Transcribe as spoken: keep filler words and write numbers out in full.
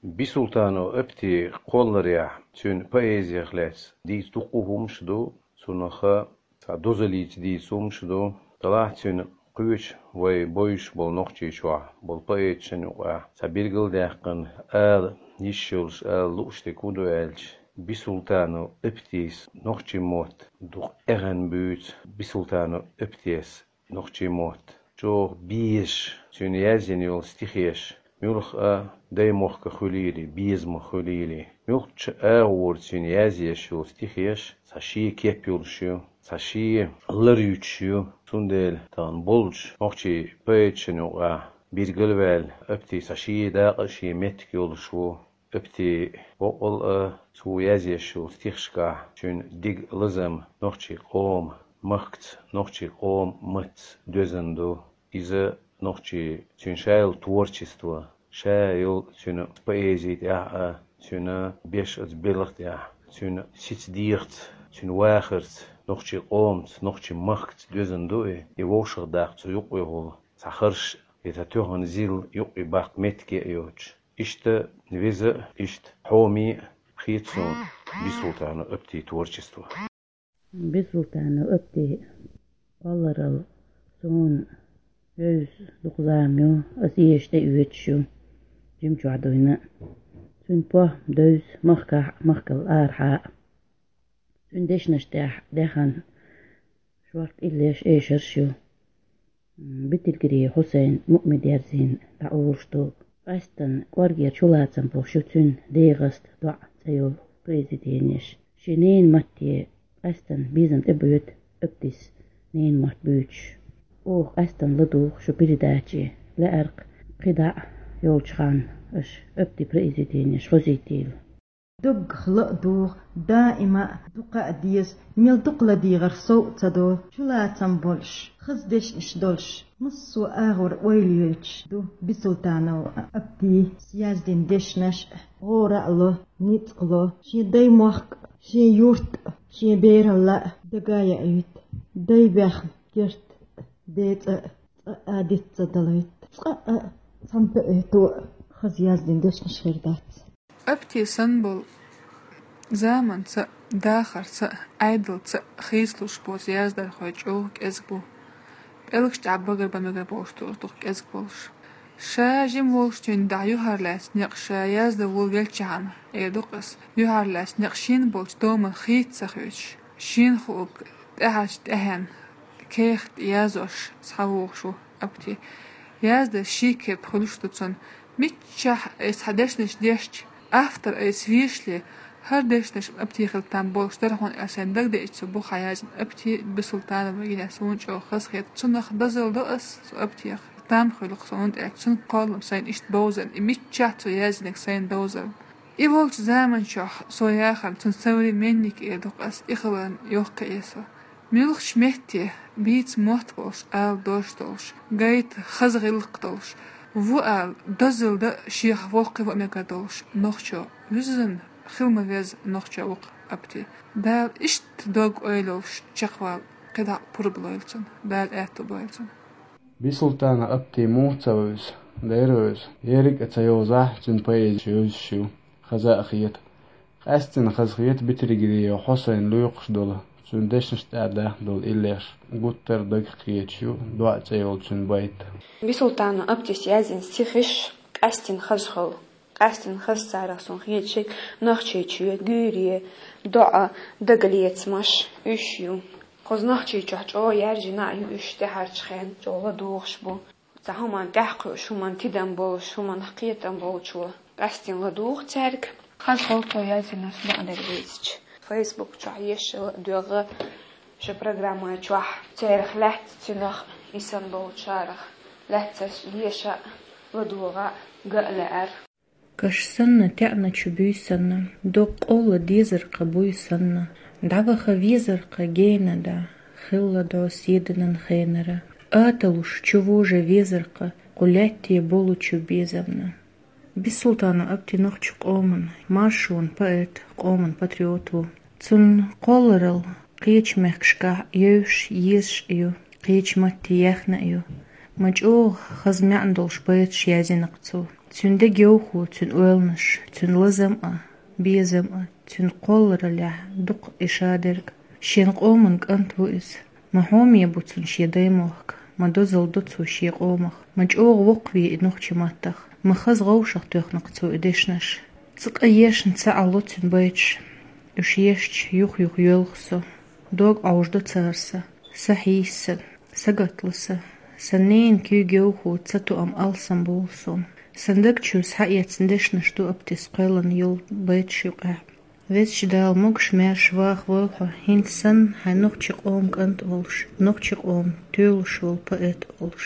Бисултанов Апти кхолларехь, цуьнан поэзиях лаьцна дийца дуккха хӀумаш ду, цунах цхьа дозаллица дийца хӀумаш ду. Делахь цуьнан кхечу вай бовзуш болу Нохчийчохь болу поэташна юкъахь цхьа билгалдаьккхина ала йиш йолуш, ала лууш дерг хӀун ду аьлча, Бисултанов Аптис нохчийн мотт дукха эхна буьйцу. Бисултанов Аптис нохчийн мотт чӀогӀа безаш, цуьнан язйина йолу стихеш, муьлхха а даймохк хуьлийла, безамах хуьлийла, муьлххачу агӀора цуьнан язъеш йолу стихеш цхьа шен кеп йолуш ю, цхьа шен лар юьтуш ю. Цундела тахана болчу нохчийн поэташна юкъахь билгалваьлла, Апти цхьа шен дакъа а, шен меттиг йолуш ву. Апти боккъал а цо язъеш йолу стихашкахь цуьнан дика лазам нохчийн къоман махкаца, нохчийн къоман маттаца доьзна ду. Иза нохчийн, цуьнан ша йолу творчество, ша йолу цуьнан поэзи тӀехь а, цуьнан беш оцу белхан тӀехь, цуьнан сица дегӀаца, цуьнан вахарца, нохчийн къомаца, нохчийн махкаца доьзна ду и, и вовшахдаккха цу юкъахула цхьа харш, и цхьа тоьхна зил юкъа баккха меттиг а йоцуш. Иштта веза а, иштта хьоме а хета суна Бисултанов Аптин творчество. Бисултанов Апти кхолларалла суна вевза дукха зама ю, аса эша тӀеоьцуш ю, жимчохь дуьйна. Цуьнан похӀма девза махкахь а, махкал арахьа а. Цуьнан дешнаш тӀехь даьхна шорта иллеш, эшарш ю. Битилгири Хьусайн, Муъмин-Дерзин дӀаолуш ду. Къаьсттина кӀоргера чулацам болуш ю цуьнан «ДегӀаста доӀа» цӀе йолу произведенеш. Шен ненан матте къаьсттина безам тӀебоьду Аптис ненан мотт буьйцуш. Оха къаьсттина ладугӀу шун передаче, лаьара кхидӀа а йолчу ханна аша Аптин произведенеш хозуьйтийла. Доггах ла а дугӀу, даима а дукха а деза, мел дукха ладегӀар сов а ца до, чулацам болуш, хаза дешнаш долуш, массо а агӀор ойла йойтуш ду Бисултанов Аптис яздина дешнаш а. ГӀора а ло, ницкъ ло, шен даймохк а, шен юрт а, шен бералла а дага а яуьйту, дай бехна керт а, ден цӀа а, цкъа а диц ца далуьйту, цкъа а цхьана поэто а хаза яздина дешнаш хир дац. Апти санна болу заманца а, дахарца а, Ӏедалца а хийцалуш боцу яздархой чӀогӀа кӀезиг бу. ПӀелгаш тӀехь багар бан мегар болуш, дукха кӀезиг болуш. Ша жима волуш, цуьнан дӀа юьхьарлаьцна некъ ша яздан вуьйлавелчхьана, эр ду-кх ас, юьхьарлаьцна некъ шена болчу томан хийца ца хоьцуш, шена хуург тӀаьхьарчу тӀаьхьенна кехат язъеш схьавогӀуш ву Апти. Яздан ши кеп хуьлуш ду цуьнан. Миччахь аса цхьа дешнаш дешча, автор аса вешале, хӀара дешнаш Апти хила там болуш дара хьуна аьлла, сайн дагадеъча цо бухахь яздина Апти Бисултанова гина, суна чӀогӀа хазахета. Цунах дозалла до ас, цу Аптех там хуьлу-кх суна, тӀаккха цуьнан кхоллам сайна иштта бовзарна, и миччахь цо яздинарг сайна довзарна. И волчу заманчохь со яхарна, цуьнан современник эр ду-кх ас, и хиларна йоккха эсо. Муьлххачу метте бийца мотт болуш, ала дош долуш, гайта хаза гӀиллакх долуш, ву ала дозалла дан шех воккхаван а мегар долуш нохчо, вуьззина хила ма веза нохчо ву-кх Апти. Дала иштта дог-ойла йолуш чекхвала кхидӀа а пурба лойла цунна, Дала аьтто бойла цунна. Бисултанов Апти муха ца вевза, дера вевза, ерриг а ца йовзахь, цуьнан поэзи вевзаш ю, хаза а хета. Къаьсттина хазахета Битилгири Хьусайна лоькхуш долу, цуьнан дешнаш тӀехь даьхна долу иллеш гуттар а дагах кхеташ ю «ДоӀа» цӀе йолу цуьнан байт. Бисултанов Аптис яздина стихаш къаьсттина хаза хуьлу. Къаьсттина хаза царах суна хеташ ерг Нохчийчоь, гуьйре, доӀа, дагалецамаш, уьш ю. Кхуза Нохчийчохь чӀогӀа яьржина а ю уьш, тӀаьхьарчу хенахь чӀогӀа ладугӀуш бу. Цхьа хӀуманна тӀаьхьакхуьуш, хӀуманна тидам болуш, хӀуманах кхетам болчо къаьсттина ладугӀу цаьрга. Хаза хуьлу цо яздинарш бакъдерг дийцича. Фейсбук чохь ешала а доьгӀу, шун программа чохь церах лаьцна, цуьнах йисина болчарах лаьцнарш деша а, ладогӀа а, ган а лаьара. Каш санна, теӀначу буьй санна, доккха къовла дезар-кха буй санна, дӀаваха везар-кха гена да, хилла до седанан хенара. Аталуш чу вожа везар-кха кху лаьтте болучу безамна. Бисултанов Апти нохчийн къоман маршонан поэт, къоман патриот ву. Цуьнан кхолларалла кхечу мехкашкахь евзаш, езаш а ю, кхечу матте яьхна а ю. Ма чӀогӀа хаза маьӀна долуш байташ яздина-кх цо. Цуьнан дегайовхо, цуьнан ойланаш, цуьнан лазам а, безам а, цуьнан кхоллараллехь дукха и шадерг. Шен къоман кӀант ву иза. Ма хьоме бу цунна шен даймохк, ма дозалла ду цо шен къомах, ма чӀогӀа воккхаве и нохчийн маттах, ма хаза гӀовшах тоьхна-кх цо и дешнаш. Цкъа ешна ца Ӏало цуьнан байташ, уьш ешча, юх-юха йоьлху со. Дог Ӏовжадо цара сан, са хьийса сан, сагатла сан. Сан ненан куьйга йовхо ца тоам алсам болу суна. Сан даг чуьра схьаэцна дешнаш ду Аптис кхоьллина йолу байташ юкъахь. Везачу Дала могуш-маьрша ваха войла хьо, хӀинца санна хьайн нохчийн къоман кӀант а волуш, нохчийн къоман тоьлуш волу поэт а волуш.